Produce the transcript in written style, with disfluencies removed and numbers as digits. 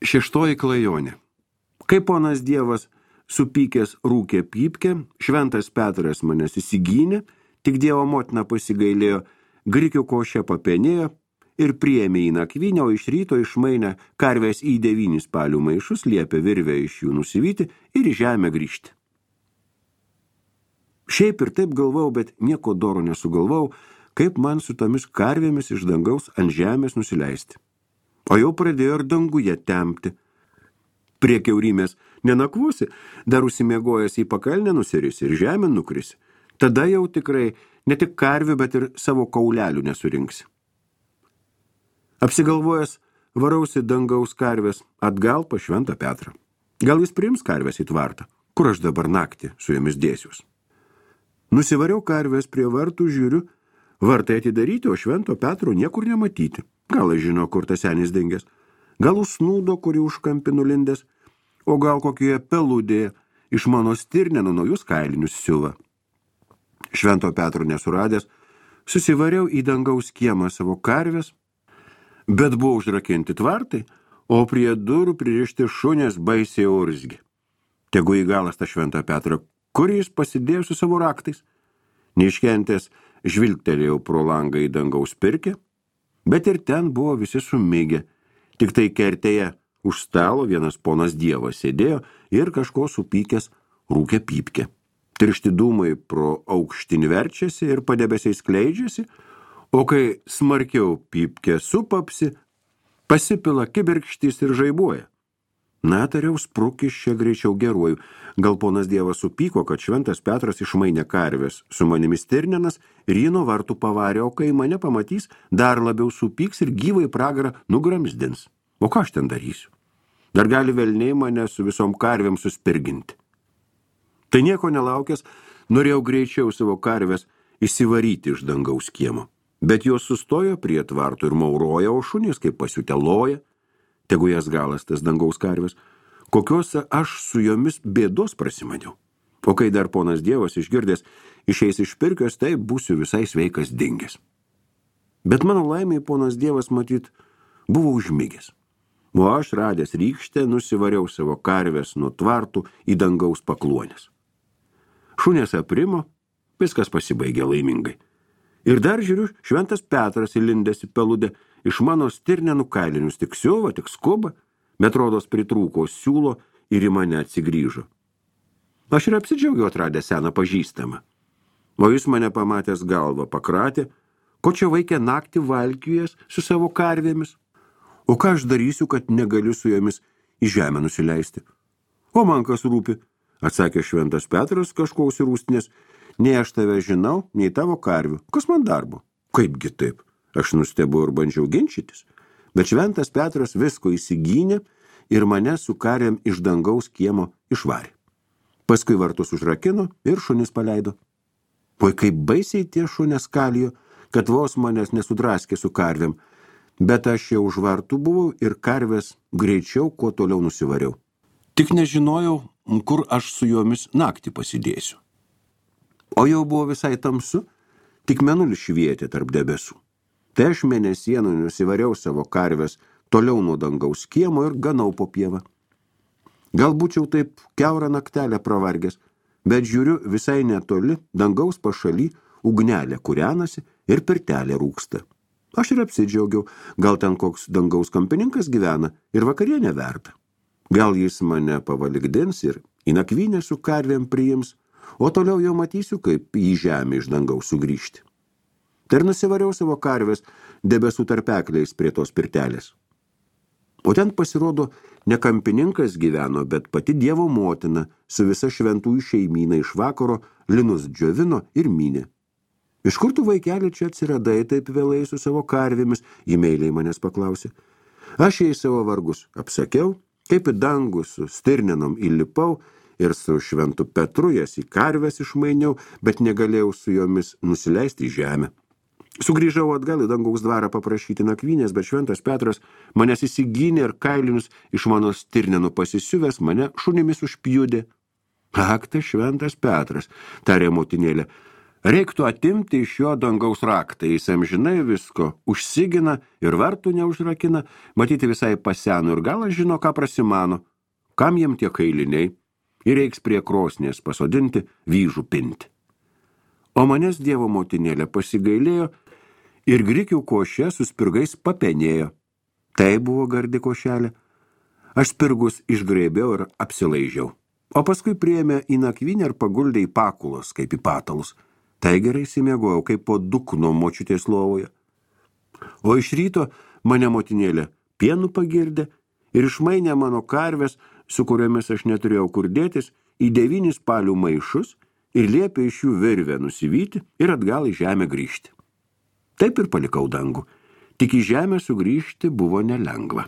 Šeštoji klajonė. Kai ponas Dievas supykęs rūkė pypkę, šventas Petras manęs įsigynė, tik Dievo motina pasigailėjo, grikių košę papenėjo ir priėmė į nakvynę, o iš ryto išmainę karvės į 9 palių maišus, liepė virvę iš jų nusivyti ir į žemę grįžti. Šiaip ir taip galvau, bet nieko doro nesugalvau, kaip man su tomis karvėmis iš dangaus ant žemės nusileisti. O jau pradėjo ir danguje tempti. Prie kiaurymės nenakvosi, dar užsimiegojęs į pakalnę nusirisi ir žemę nukrisi. Tada jau tikrai ne tik karvių, bet ir savo kaulelių nesurinksi. Apsigalvojęs, varausi dangaus karvės atgal pas šventą Petrą. Gal jis priims karvės į tvartą, kur aš dabar naktį su jomis dėsiuos. Nusivariau karvės prie vartų, žiūriu, vartai atidaryti, o švento Petro niekur nematyti. Gal aš žino, kur tas senis dingęs, gal užsnūdo, kurį užkampi nulindęs, o gal kokioje peludėje iš mano stirneno naujus kailinius siuva. Švento Petro nesuradęs, susivariau į dangaus kiemą savo karvės, bet buvo užrakinti tvartai, o prie durų pririšti šunės baisiai urzgi. Tegu įgalas tą šventą Petrą, kur jis pasidėjo su savo raktais. Neiškentęs žvilgtelėjau pro langą į dangaus pirkę, bet ir ten buvo visi sumigę. Tik tai kertėje už stalo vienas ponas Dievas sėdėjo ir kažko supykęs rūkė pypkę. Tiršti dūmai pro aukštinį verčiasi ir padebesiai skleidžiasi, o kai smarkiau pypkę supapsi, pasipila kibirkštys ir žaibuoja. Na, tariau, sprukis čia greičiau geruoju. Gal ponas Dievas supyko, kad šventas Petras išmainė karvės su manimi stirnenas ir jį nuo vartų pavarė, o kai mane pamatys, dar labiau supyks ir gyvai pragarą nugramsdins. O ką aš ten darysiu? Dar gali velniai mane su visom karvėm suspirginti. Tai nieko nelaukęs, norėjau greičiau savo karvės įsivaryti iš dangaus kiemo. Bet jos sustojo prie tvartų ir mauroja, o šunys kaip pasiutę loja. Tegu jas galas tas dangaus karvės, kokios aš su jomis bėdos prasimaniau. O kai dar ponas Dievas išgirdęs išeis iš pirkios, tai būsiu visai sveikas dingęs. Bet mano laimiai ponas Dievas matyt buvo užmigęs. O aš radęs rykštę nusivariau savo karvės nuo tvartų į dangaus pakluonės. Šunės aprimo, viskas pasibaigė laimingai. Ir dar žiūriu, šventas Petras įlindęs į peludę, iš mano stirnenų kailinius tik siuva, tik skuba, bet rodos pritrūko siūlo ir į mane atsigrįžo. Aš ir apsidžiaugiau atradę seną pažįstamą. O jis mane pamatęs galvą pakratė, ko čia vaikė naktį valkiujas su savo karvėmis. O ką aš darysiu, kad negaliu su jomis į žemę nusileisti? O man kas rūpi, atsakė šventas Petras kažko užsirūstinės, nei aš tave žinau, nei tavo karvių. Kas man darbo? Kaipgi taip? Aš nustebau ir bandžiau ginčytis. Bet šventas Petras visko įsigynė ir mane su karėm iš dangaus kiemo išvarė. Paskui vartus užrakino ir šunis paleido. Oi, kaip baisiai tie šunės kalijo, kad vos manęs nesudraskė su karvėm, bet aš jau už vartų buvau ir karvės greičiau kuo toliau nusivariau. Tik nežinojau, kur aš su jomis naktį pasidėsiu. O jau buvo visai tamsu, tik mėnulis švietė tarp debesų. Tai aš mėnesienų nusivariau savo karvės toliau nuo dangaus kiemo ir ganau po pievą. Gal būčiau taip kiaurą naktelę pravargęs, bet žiūriu visai netoli, dangaus pašaly ugnelė kūrenasi ir pirtelė rūksta. Aš ir apsidžiaugiau, gal ten koks dangaus kampininkas gyvena ir vakarienė verta. Gal jis mane pavalikdins ir į nakvynę su karvėm priims, o toliau jau matysiu, kaip į žemę iš dangaus sugrįžti. Tai ir nusivariau savo karvės debesų tarpekliais prie tos pirtelės. O ten pasirodo ne kampininkas gyveno, bet pati Dievo motina su visa šventųjų šeimyna iš vakaro linus džiovino ir mynė. Iš kur tu, vaikeli, čia atsiradai taip vėlai su savo karvėmis, ji meiliai manęs paklausė. Aš jai savo vargus apsakiau, kaip į dangų su stirnenom įlipau ir su šventu Petru jas į karves išmainiau, bet negalėjau su jomis nusileisti į žemę. Sugrįžau atgal į dangaus dvarą paprašyti nakvynės, bet šventas Petras manęs įsigynė ir kailinius iš mano stirnenų pasisiuvęs mane šunimis užpjudė. Ak, tai šventas Petras, tarė motinėlė, Reiktų atimti iš jo dangaus raktą, jis amžinai visko užsigina ir vartų neužrakina, matyti visai paseno ir galas žino, ką prasimano, kam jiem tie kailiniai, ir reiks prie krosnės pasodinti, vyžų pinti. O manęs Dievo motinėlė pasigailėjo ir grikių košė su spirgais papenėjo. Tai buvo gardi košelė. Aš spirgus išgrėbėjau ir apsilaižiau, o paskui priėmė į nakvynę ir paguldė į pakulos, kaip į patalus. Tai gerai įsimiegojau, kaip po dukno močiutės lovoje. O iš ryto mane motinėlė pienu pagirdė ir išmainė mano karves, su kuriomis aš neturėjau kur dėtis, į 9 palių maišus ir liepė iš jų virvę nusivyti ir atgal į žemę grįžti. Taip ir palikau dangų, tik į žemę sugrįžti buvo nelengva.